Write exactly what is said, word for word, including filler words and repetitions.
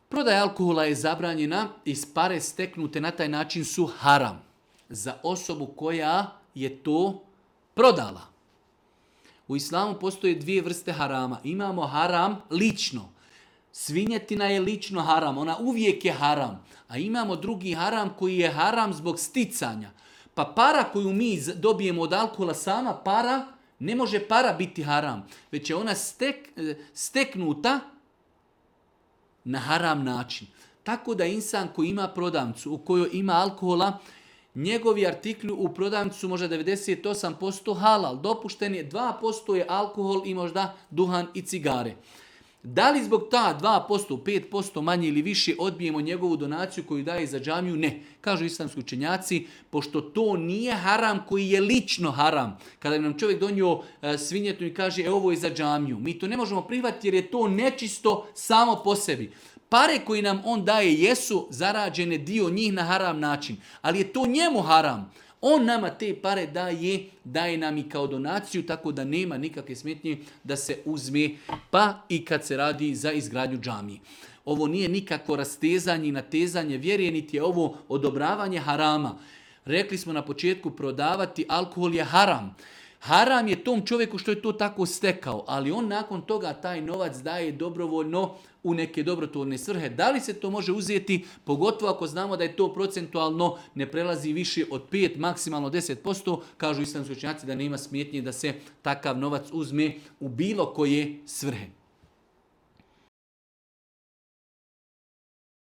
Prodaja alkohola je zabranjena i pare steknute na taj način su haram za osobu koja je to prodala. U islamu postoje dvije vrste harama. Imamo haram lično. Svinjetina je lično haram, ona uvijek je haram. A imamo drugi haram koji je haram zbog sticanja. Pa para koju mi dobijemo od alkohola, sama para, ne može para biti haram. Već je ona stek, steknuta na haram način. Tako da insan koji ima prodavnicu u kojoj ima alkohola, njegovi artikli u prodavnicu su možda devedeset osam posto halal. Dopušten je dva posto je alkohol i možda duhan i cigare. Da li zbog ta dva posto, pet posto manje ili više odbijemo njegovu donaciju koju daje za džamiju? Ne. Kažu islamski učenjaci, pošto to nije haram koji je lično haram. Kada bi nam čovjek donio e, svinjetu i kaže e, ovo je za džamiju. Mi to ne možemo prihvatiti jer je to nečisto samo po sebi. Pare koje nam on daje jesu zarađene dio njih na haram način. Ali je to njemu haram. On nama te pare daje, daje nam i kao donaciju, tako da nema nikakve smetnje da se uzme, pa i kad se radi za izgradnju džamije. Ovo nije nikako rastezanje i natezanje vjere, niti je ovo odobravanje harama. Rekli smo na početku, prodavati alkohol je haram. Haram je tom čovjeku što je to tako stekao, ali on nakon toga taj novac daje dobrovoljno u neke dobrotvorne svrhe. Da li se to može uzeti, pogotovo ako znamo da je to procentualno ne prelazi više od pet, maksimalno deset posto, kažu islamski učenjaci da nema smetnje da se takav novac uzme u bilo koje svrhe.